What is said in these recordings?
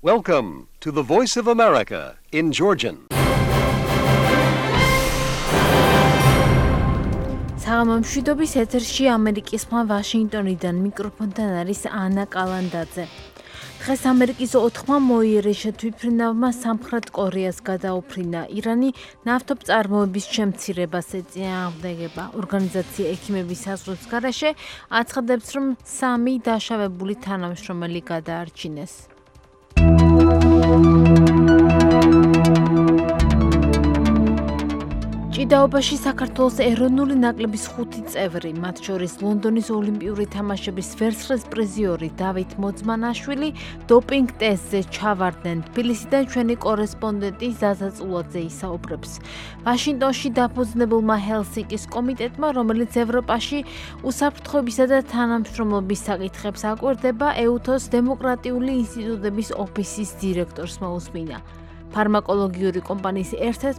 Welcome to the Voice of America in Georgian. საღამომშვიდობის ეთერში ამერიკისმა ვაშინგტონიდან მიკროფონთან არის ანა კალანდაძე. დღეს ამერიკის 4-მა მოიერეშა თვითმფრინავმა სამხრეთ კორეას გადაუფრინა. ირანი ნავთობწარმოების შემცირებას ეწინააღმდეგება. ორგანიზაცია ექიმების საზღვრების გარეშე აცხადებს, რომ 3 დაშავებული თანამშრომელი გადაარჩინეს. ჭიდაობაში საქართველოს ეროვნული ნაკრების 5 წევრი, მათ შორის ლონდონის ოლიმპიური თამაშების ვერცხლის პრიზიორი დავით მოძმანაშვილი დოპინგ ტესტზე ჩავარდნენ. თბილისიდან ჩვენი კორესპონდენტი ზაზა წულაძე ისაუბრებს. ვაშინგტონში დაფუძნებულმა ჰელსინკის კომიტეტმა, რომელიც ევროპაში უსაფრთხოებისა და თანამშრომლობის საკითხებს აკვირდება, ეუთოს დემოკრატიული ინსტიტუტების ოფისის დირექტორს მოусმინა. ფარმაკოლოგიური კომპანიის ერთ-ერთ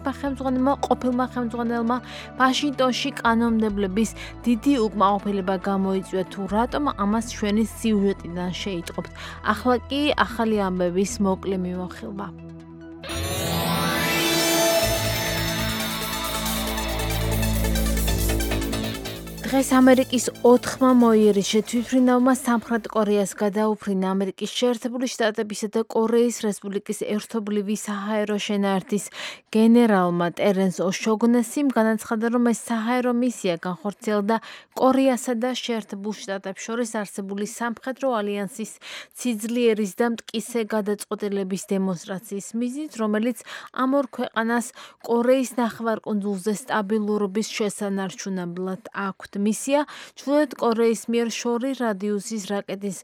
ყოფილმა ხელმძღვანელმა ვაშინგტონში კანონმდებლების დიდი უკმაყოფილება გამოიწვია, თუ რატომ ამას ჩვენი სიუჟეტიდან შეიტყობთ. ახლა კი ახალი ამბების მოკლე მიმოხილვა. დღეს ამერიკის 4-მა მოიერეშა თვითმფრინავმა სამხრეთ კორეას გადაუფრინა. ამერიკის შეერთებული შტატებისა და კორეის რესპუბლიკის ერთობლივი საჰაერო შენაერთის გენერალმა ტერენს ოშოგნესიმ განაცხადა, რომ ეს საჰაერო მისია განხორციელდა კორეასა და შეერთებულ შტატებს შორის არსებული სამხედრო ალიანსის სიძლიერის და მტკიცე გადაწყვეტილების დემონსტრაციის მიზნით, რომელიც ამ ორ ქვეყანას კორეის ნახევარკუნძულზე სტაბილურობის შესანარჩუნებლად აქვთ. მისია ჩრდილოეთ კორეის მიერ შორი რადიუსის რაკეტის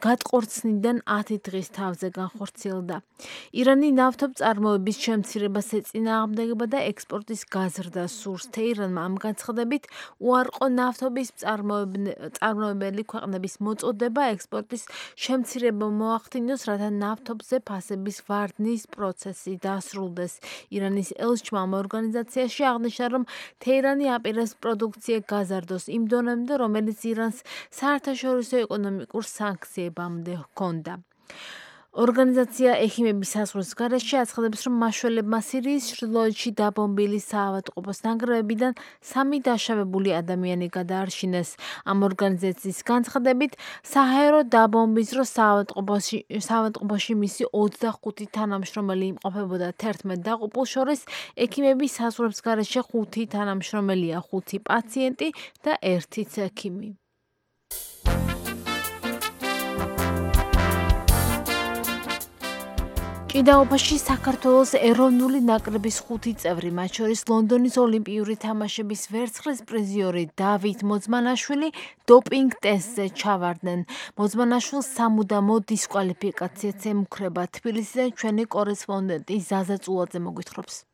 გადყორცნიდან 10 დღის თავზე განხორციელდა. ირანი ნავთობწარმოების შემცირებას ეწინააღმდეგება და ექსპორტის გაზრდას სურს. თეირანმა ამ განცხადებით უარყო ნავთობის მწარმოებელი ქვეყნების მოწოდება ექსპორტის შემცირება მოახდინოს, რათა ნავთობზე ფასების ვარდნის პროცესი დასრულდეს. ირანის ელჩმა ამ ორგანიზაციაში აღნიშნა, რომ თეირანი აპირებს პროდუქცია გაზარდოს იმ დონემდე, რომელიც ირანს საერთაშორისო ეკონომიკურ სანქციებამდე ჰქონდა. ორგანიზაცია ექიმების საზღვრების გარეშე აცხადებს, რომ მაშველებმა სირიის ჩრდილოეთში დაბომბილი საავადმყოფოს ნანგრევებიდან 3 დაშავებული ადამიანი გადაარჩინეს. ამ ორგანიზაციის განცხადებით, საჰაერო დაბომბვის დროს საავადმყოფოში მისი 25 თანამშრომელი იმყოფებოდა. 11 დაღუპულს შორის ექიმების საზღვრების გარეშე 5 თანამშრომელია, 5 პაციენტი და 1 ექიმი. ჭიდაობაში საქართველოს ეროვნული ნაკრების 5 წევრი, მათ შორის ლონდონის ოლიმპიური თამაშების ვერცხლის პრიზიორი დავით მოძმანაშვილი დოპინგ ტესტზე ჩავარდნენ. მოძმანაშვილს სამუდამო დისკვალიფიკაციაც ემუქრება. თბილისიდან ჩვენი კორესპონდენტი ზაზა წულაძე მოგვითხრობს.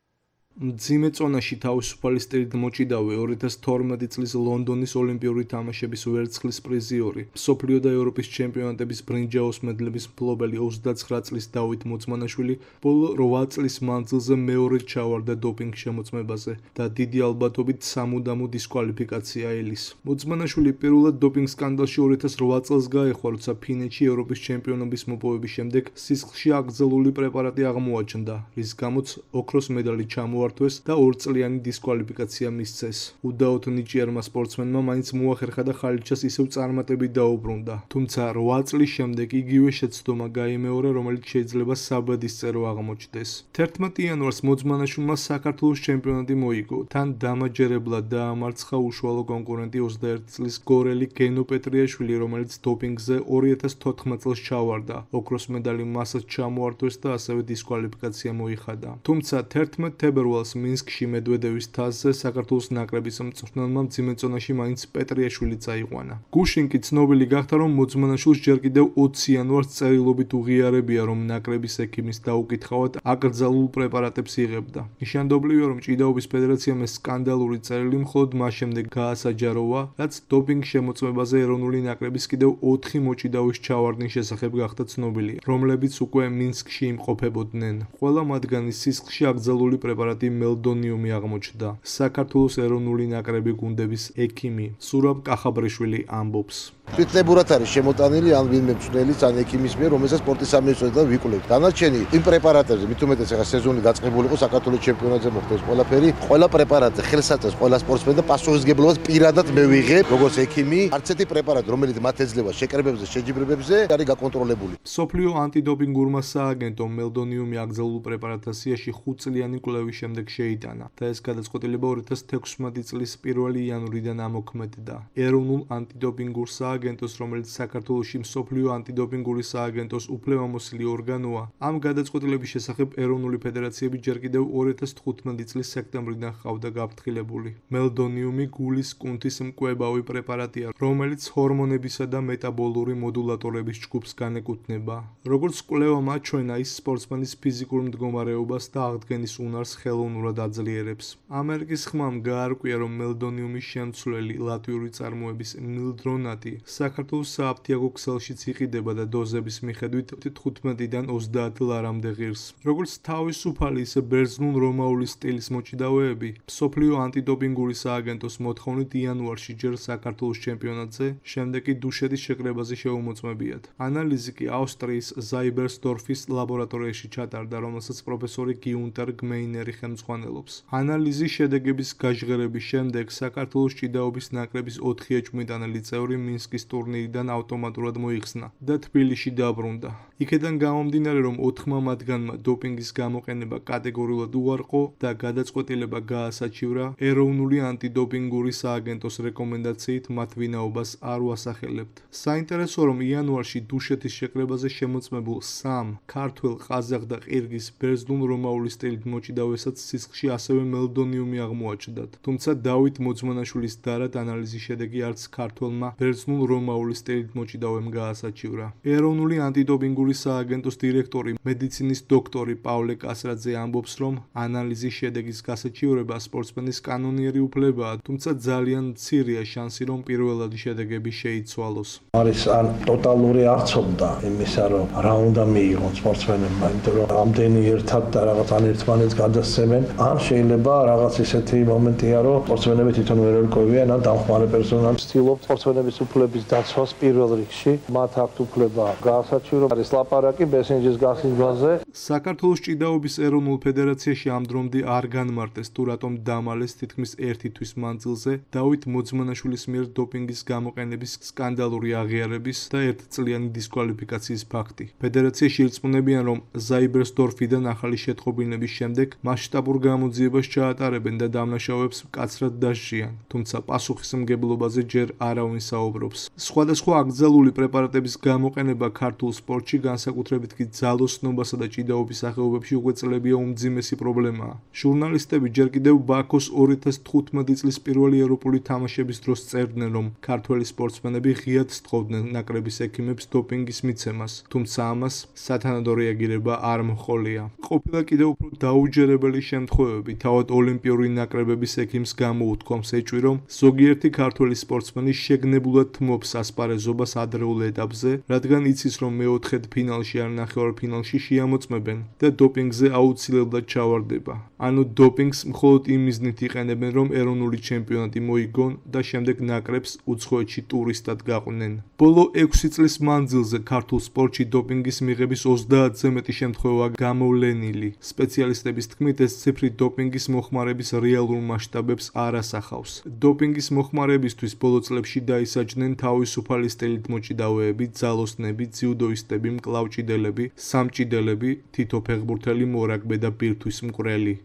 მძიმე წონაში თავისუფალი სტილით მოჭიდავე 2012 წლის ლონდონის ოლიმპიური თამაშების ვერცხლის პრიზიორი, მსოფლიო და ევროპის ჩემპიონატების ბრინჯაოს მედლების მფლობელი 29 წლის დავით მოძმანაშვილი ბოლო 8 წლის მანძილზე მეორედ ჩავარდა დოპინგ შემოწმებაზე და დიდი ალბათობით სამუდამო დისკვალიფიკაცია ელის. მოძმანაშვილი პირველად დოპინგ სკანდალში 2008 წელს გაეხვა, როცა ფინეთში ევროპის ჩემპიონობის მოპოვების შემდეგ სისხლში აკრძალული პრეპარატი აღმოაჩნდა, რის გამოც ოქროს მედალი ჩამოართვეს და 2 წლიანი დისკვალიფიკაცია მისცეს. უდაოდ ნიჭიერმა სპორტსმენმა მაინც მოახერხა და ხალიჩას ისევ წარმატებით დაუბრუნდა. თუმცა 8 წლის შემდეგ იგივე შეცდომა გაიმეორა, რომელიც შეიძლება საბადისწერო აღმოჩნდეს. 11 იანვარს მოძმანაშვილმა საქართველოს ჩემპიონატი მოიგო. თან დამაჯერებლად დაამარცხა უშუალო კონკურენტი 21 წლის გორელი გენო პეტრიაშვილი, რომელიც დოპინგზე 2014 წელს ჩავარდა. ოქროს მედალი მასაც ჩამოართვეს და ასევე დისკვალიფიკაცია მოიხადა. თუმცა 11 თებერვალს მინსკში მედვედევის თასზე საქართველოს ნაკრების მწვრთნელმა მძიმე წონაში მაინც პეტრიაშვილი წაიყვანა. გუშინ კი ცნობილი გახდა, რომ მოძმანაშვილს ჯერ კიდევ 20 იანვარს წერილობით უღიარებია, რომ ნაკრების ექიმის დაუკითხავად აკრძალულ პრეპარატებს იღებდა. ნიშანდობლივია, რომ ჭიდაობის ფედერაციამ ეს სკანდალური წერილი მხოლოდ მას შემდეგ გაასაჯაროვა, რაც დოპინგ შემოწმებაზე ეროვნული ნაკრების კიდევ 4 მოჭიდავის ჩავარდნის შესახებ გახდა ცნობილი, რომლებიც უკვე მინსკში იმყოფებოდნენ. ყველა მათგანი სისხლში აკრძალული პრეპარატი ჩემპიონატი მელდონიუმი აღმოჩნდა. საქართველოს ეროვნული ნაკრები გუნდების ექიმი სურაბ კახაბრიშვილი ამბობს. თვითნებურად არის შემოტანილი ან ვინმე მწვრთნელის ან ექიმის მიერ, რომელსაც სპორტის სამინისტროდან ვიკვლევთ. დანარჩენი იმ პრეპარატებზე, მით უმეტეს ახლა სეზონი დაწყებული იყო საქართველოს ჩემპიონატზე მოხდეს ყველაფერი, ყველა პრეპარატზე ხელსაწევს ყველა სპორტსმენი და პასუხისმგებლობას პირადად მე ვიღებ, როგორც ექიმი. არც ერთი პრეპარატი, რომელიც მათ ეძლევა შეკრებებზე, შეჯიბრებებზე, არის გაკონტროლებული. მსოფლიო ანტიდოპინგურმა სააგენტომ მელდონიუმი აკრძალულ პრეპარატთა სიაში 5 წლიანი კვლევის შემდეგ შეიტანა და ეს გადაწყვეტილება 2016 წლის 1 იანვრიდან ამოქმედდა. ეროვნულ ანტიდოპინგურ სააგენტოს, რომელიც საქართველოში მსოფლიო ანტიდოპინგური სააგენტოს უფლებამოსილი ორგანოა, ამ გადაწყვეტილების შესახებ ეროვნული ფედერაციები ჯერ კიდევ 2015 წლის სექტემბრიდან ჰყავდა გაფრთხილებული. მელდონიუმი გულის კუნთის მკვებავი პრეპარატია, რომელიც ჰორმონებისა და მეტაბოლური მოდულატორების ჯგუფს განეკუთვნება. როგორც კვლევამ აჩვენა, ის სპორტსმენის ფიზიკურ მდგომარეობას და აღდგენის უნარს ხელოვნურად აძლიერებს. ამერიკის ხმამ გაარკვია, რომ მელდონიუმის შემცვლელი ლატვიური წარმოების მილდრონატი საქართველოს სააფთიაქო ქსელშიც იყიდება და დოზების მიხედვით 15-დან 30 ლარამდე ღირს. როგორც თავისუფალი, ისე ბერძნულ-რომაული სტილის მოჭიდავეები, მსოფლიო ანტიდოპინგური სააგენტოს მოთხოვნით იანვარში ჯერ საქართველოს ჩემპიონატზე, შემდეგ კი დუშეთის შეკრებაზე შეუმოწმებიათ. ანალიზი კი ავსტრიის ზაიბერსდორფის ლაბორატორიაში ჩატარდა, რომელსაც პროფესორი გიუნტერ გმეინერი ხელმძღვანელობს. ანალიზის შედეგების გაჟღერების შემდეგ საქართველოს ჭიდაობის ნაკრების 4 ეჭვმიტანელი წევრი მინსკის ტურნირიდან ავტომატურად მოიხსნა და თბილისში დაბრუნდა. იქედან გამომდინარე, რომ 4 მათგანმა დოპინგის გამოყენება კატეგორიულად უარყო და გადაწყვეტილება გაასაჩივრა ეროვნული ანტიდოპინგური სააგენტოს რეკომენდაციით მათ ვინაობას არ უასახელებთ. საინტერესოა, რომ იანვარში დუშეთის შეკრებაზე შემოწმებულ 3 ქართველ, ყაზახ და ყირგიზ ბერძნულ-რომაული სტილით მოჭიდავესაც სისხლში ასევე მელდონიუმი აღმოაჩნდათ. თუმცა დავით მოძმანაშვილის დარად ანალიზის შედეგი არც ქართველმა ბერძნულ-რომაული სტილით მოჭიდავემ გაასაჩივრა. ეროვნული ანტიდოპინგური სააგენტოს დირექტორი, მედიცინის დოქტორი პავლე კასრაძე ამბობს, რომ ანალიზის შედეგის გასაჩივრება სპორტსმენის კანონიერი უფლებაა, თუმცა ძალიან მცირეა შანსი, რომ პირველადი შედეგები შეიცვალოს. არის ან ტოტალური არცობდა იმისა, რომ რა უნდა მიიღონ სპორტსმენებმა, იმიტომ რომ ამდენი ერთად და რაღაც ან ერთმანეთს გადასცემენ, ან შეიძლება რაღაც ისეთი მომენტია, რომ სპორტსმენები თვითონ ვერ ერკვევიან, ან დამხმარე პერსონალი ცდილობს სპორტსმენების უფლების დაცვას პირველ რიგში. მათ აქვთ უფლება გაასაჩივრონ. არის ლაპარაკი ბესენჯის გასინჯვაზე. საქართველოს ჭიდაობის ეროვნულ ფედერაციაში ამ დრომდე არ განმარტეს, თუ რატომ დამალეს თითქმის 1 თვის მანძილზე დავით მოძმანაშვილის მიერ დოპინგის გამოყენების სკანდალური აღიარების და 1-წლიანი დისკვალიფიკაციის ფაქტი. ფედერაციაში ირწმუნებიან, რომ ზაიბერსდორფიდან ახალი შეტყობინების შემდეგ მასშტაბურ გამოძიებას ჩაატარებენ და დამნაშავეებს მკაცრად დასჯიან, თუმცა პასუხისმგებლობაზე ჯერ არავინ საუბრობს. სხვადასხვა აკრძალული პრეპარატების გამოყენება ქართულ სპორტში, განსაკუთრებით კი ძალოსნობასა და ჭიდაობის სახეობებში უკვე წლებია უმძიმესი პრობლემაა. ჟურნალისტები ჯერ კიდევ ბაქოს 2015 წლის პირველი ევროპული თამაშების დროს წერდნენ, რომ ქართველი სპორტსმენები ღიად სთხოვდნენ ნაკრების ექიმებს დოპინგის მიცემას, თუმცა ამას სათანადო რეაგირება არ მოჰყოლია. ყოფილა კიდევ უფრო დაუჯერებელი შემთხვევები, თავად ოლიმპიური ნაკრებების ექიმს გამოუთქვამს ეჭვი, რომ ზოგიერთი ქართველი სპორტსმენი შეგნებულად თმობს ასპარეზობას ადრეულ ეტაპზე, რადგან იცის, რომ მეოთხედ ფინალში ან ნახევარფინალში შეამოწმებენ და დოპინგზე აუცილებლად ჩავარდება. ანუ დოპინგს მხოლოდ იმ მიზნით იყენებენ, რომ ეროვნული ჩემპიონატი მოიგონ და შემდეგ ნაკრებს უცხოეთში ტურისტად გაყვნენ. ბოლო 6 წლის მანძილზე ქართულ სპორტში დოპინგის მიღების 30-ზე მეტი შემთხვევაა გამოვლენილი. სპეციალისტების თქმით, ეს ციფრი დოპინგის მოხმარების რეალურ მასშტაბებს არ ასახავს. დოპინგის მოხმარებისთვის ბოლო წლებში დაისაჯნენ თავისუფალი სტილით მოჭიდავეები, ძალოსნები, ძიუდოისტები, მკლავჭიდელები, სამჭიდელები, თითო ფეხბურთელი, მორაგბე და ბირთვის მკვრელი.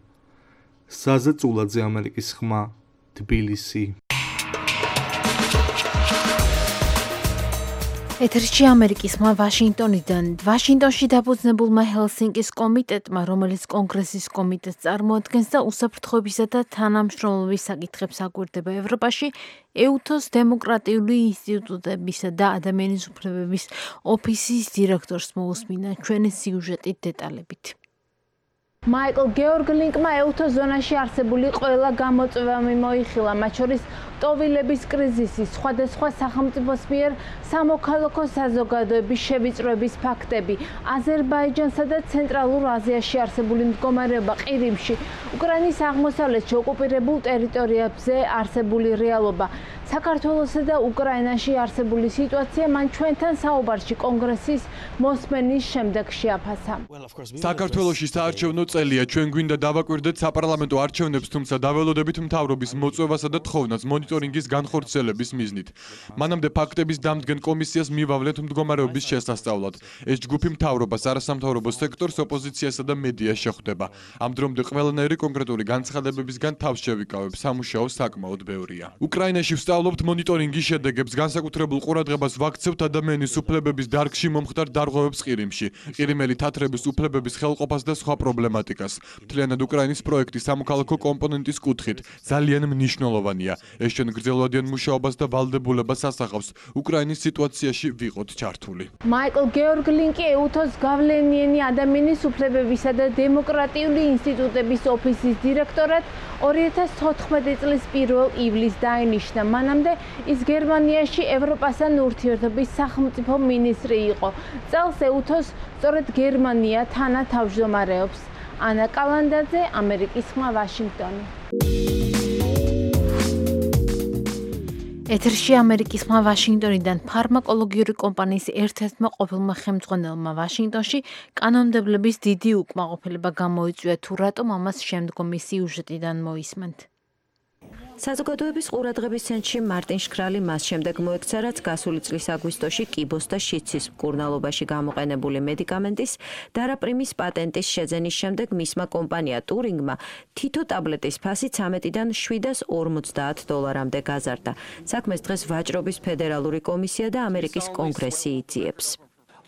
საზა წულაძე, ამერიკის ხმა, თბილისი. ეთერში ამერიკის ხმა ვაშინგტონიდან. ვაშინგტონში დაფუძნებულმა ჰელსინკის კომიტეტმა, რომელიც კონგრესის კომიტეტს წარმოადგენს და უსაფრთხოებისა და თანამშრომლობის საკითხებს აკვირდება ევროპაში, ეუთოს დემოკრატიული ინსტიტუტებისა და ადამიანის უფლებების ოფისის დირექტორს მოусმინა ჩვენი სიუჟეტით დეტალებით. მაიკლ გეორგ ლინკმა ეუთოს ზონაში არსებული ყველა გამოწვევა მოიხილა, მათ შორის ტოვილების კრიზისი, სხვადასხვა სახელმწიფოს მიერ სამოქალაქო საზოგადოების შევიწროების ფაქტები, აზერბაიჯანსა და ცენტრალურ აზიაში არსებული მდგომარეობა ყირიმში, უკრაინის აღმოსავლეთში ოკუპირებულ ტერიტორიებზე არსებული რეალობა, საქართველოსა და უკრაინაში არსებული სიტუაცია მან ჩვენთან საუბარში კონგრესის მოსმენის შემდეგ შეაფასა. საქართველოში საარჩევნო წელია, ჩვენ გვინდა დავაკვირდეთ საპარლამენტო არჩევნებს, თუმცა დაველოდებით მთავრობის მოწვევასა და თხოვნას მონიტორინგის განხორციელების მიზნით. მანამდე ფაქტების დამდგენ კომისიას მივავლეთ მდგომარეობის შესასწავლად. ეს ჯგუფი მთავრობას, არასამთავრობო სექტორს, ოპოზიციასა და მედიას შეხვდება. ამ დრომდე ყველანაირი კონკრეტული განცხადებებისგან თავს შევიკავებ, სამუშაო საკმაოდ ბევრია. უკრაინაში ვსწავლობთ მონიტორინგის შედეგებს, განსაკუთრებულ ყურადღებას ვაქცევთ ადამიანის უფლებების დარგში მომხდარ დარღვევებს ყირიმში, ყირიმელი თათრების უფლებების ხელყოფას და სხვა პრობლემატიკას. მთლიანად უკრაინის პროექტი სამოქალაქო კომპონენტის კუთხით ძალიან მნიშვნელოვანია. ეს ჩვენ გრძელვადიან მუშაობას და ვალდებულებას ასახავს უკრაინის სიტუაციაში ვიყოთ ჩართული. მაიკლ გეორგ ლინკი ეუთოს გავლენიანი ადამიანის უფლებებისა და დემოკრატიული ინსტიტუტების ოფისის დირექტორად 2014 წლის 1 ივლისს დაინიშნა. მანამდე ის გერმანიაში ევროპასთან ურთიერთობის სახელმწიფო მინისტრი იყო. წელს ეუთოს სწორედ გერმანია თანათავმჯდომარეობს. ანა კალანდაძე, ამერიკის ხმა, ვაშინგტონი. ეთერში ამერიკის ხმა ვაშინგტონიდან ფარმაკოლოგიური კომპანიის ერთ-ერთმა ყოფილმა ხელმძღვანელმა ვაშინგტონში კანონმდებლების დიდი უკმაყოფილება გამოიწვია, თუ რატომ ამას შემდგომი სიუჟეტიდან მოისმენთ. საზოგადოების ყურადღების ცენტრში მარტინ შქრალი მას შემდეგ მოექცა, რაც გასული წლის აგვისტოში კიბოს და შიცის მკურნალობაში გამოყენებული მედიკამენტის დარაპრიმის პატენტის შეძენის შემდეგ მისმა კომპანია ტურინგმა თითო ტაბლეტის ფასი 13-დან $750-მდე გაზარდა. საქმეს დღეს ვაჭრობის ფედერალური კომისია და ამერიკის კონგრესი იძიებს.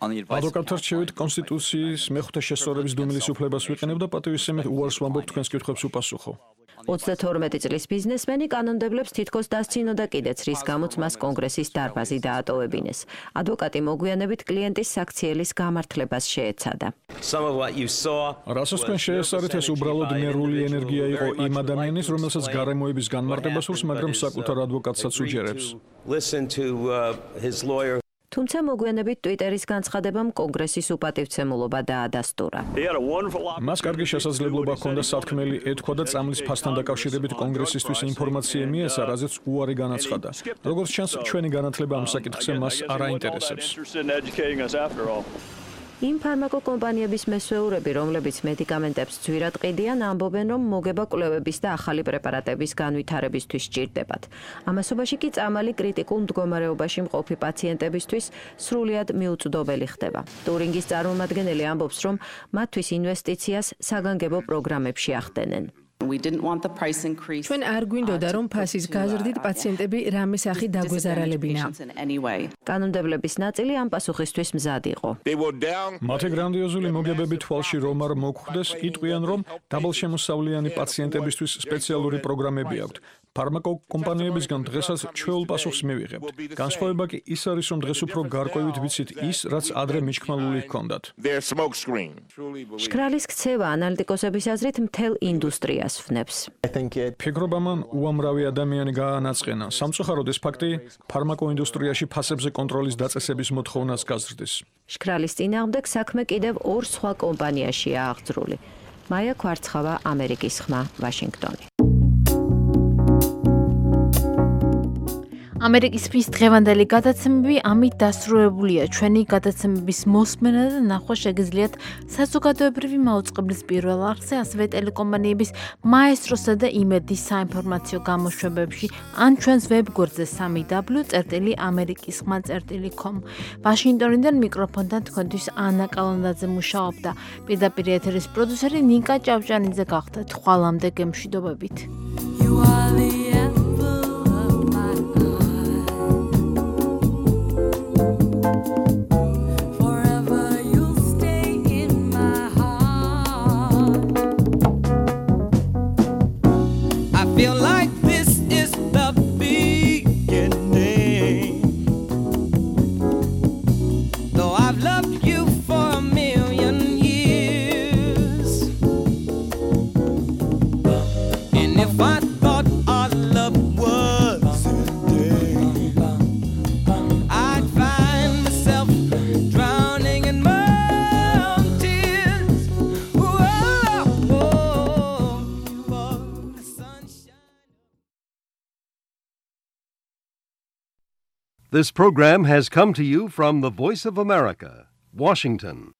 ადვოკატთა რჩევით კონსტიტუციის მეხუთე შესწორების დუმილის უფლებას ვიყენებ და პატივისცემით უარს ვამბობ თქვენს კითხვებს უპასუხო. 32 წლის ბიზნესმენი კანონმდებლებს თითქოს დასცინოდა კიდეც, რის გამოც მას კონგრესის დარბაზი დაატოვებინეს. ადვოკატი მოგვიანებით კლიენტის საქციელის გამართლებას შეეცადა. რასაც თქვენ შეესწარით, ეს უბრალოდ ნერვული ენერგია იყო იმ ადამიანის, რომელსაც გარემოების განმარტება სურს, მაგრამ საკუთარ ადვოკატსაც უჯერებს. თუმცა მოგვიანებით ტვიტერის განცხადებამ კონგრესის უპატივცემულობა დაადასტურა. მას კარგი შესაძლებლობა ჰქონდა სათქმელი ეთქვა და წამლის ფასთან დაკავშირებით კონგრესისთვის ინფორმაცია მიეცა, რაზეც უარი განაცხადა. როგორც ჩანს, ჩვენი განათლება ამ საკითხზე მას არ აინტერესებს. იმ ფარმაკოკომპანიების მესვეურები, რომლებიც მედიკამენტებს ძვირად ყიდიან, ამბობენ, რომ მოგება კვლევების და ახალი პრეპარატების განვითარებისთვის სჭირდებათ. ამასობაში კი წამალი კრიტიკულ მდგომარეობაში მყოფი პაციენტებისთვის სრულიად მიუწვდომელი ხდება. ტურინგის წარმომადგენელი ამბობს, რომ მათთვის ინვესტიციას საგანგებო პროგრამებში ახდენენ. ჩვენ არ გვინდოდა, რომ ფასის გაზრდით პაციენტები რამე სახი დაგვეზარალებინა. კანონმდებლების ნაწილი ამ პასუხისთვის მზად იყო. მათი გრანდიოზული მოგებები თვალში რომ არ მოგხვდეს, იტყვიან, რომ დაბალშემოსავლიანი პაციენტებისთვის სპეციალური პროგრამები აქვთ. ფარმაკოკომპანიებისგან დღესაც ჩვეულ პასუხს მივიღებთ. განსხვავება კი ის არის, რომ დღეს უფრო გარკვევით ვიცით ის, რაც ადრე მიჩქმალული ჰქონდათ. შქრალის ქცევა ანალიტიკოსების აზრით მთელ ინდუსტრიას ფნებს. ფიქრობ ამან უამრავი ადამიანი გაანაწყენა. სამწუხაროდ ეს ფაქტი ფარმაკოინდუსტრიაში ფასებზე კონტროლის დაწესების მოთხოვნას გაზრდის. შქრალის წინააღმდეგ საქმე კიდევ ორ სხვა კომპანიაშია აღძრული. მაია ქვარცხავა, ამერიკის ხმა, ვაშინგტონი. ამერიკის ფის დღევანდელი გადაცემები ამით დასრულებულია. ჩვენი გადაცემების მოსმენა და ნახვა შეგიძლიათ საზოგადოებრივი მაუწყებლის პირველ არხზე, ასევე ტელეკომპანიების მაესტროსა და იმედის საინფორმაციო გამოშვებებში, ან ჩვენს ვებგვერდზე www.amerikisxma.com. ვაშინგტონიდან მიკროფონთან თქვენთვის ანა კალანდაძე მუშაობდა. პირდაპირ ეთერის პროდიუსერი ნიკა ჭავჭანიძე გახდა. თვალამდე გემშვიდობებით. Feel like this is the beginning. Though I've loved you for a million years, and if I This program has come to you from the Voice of America, Washington.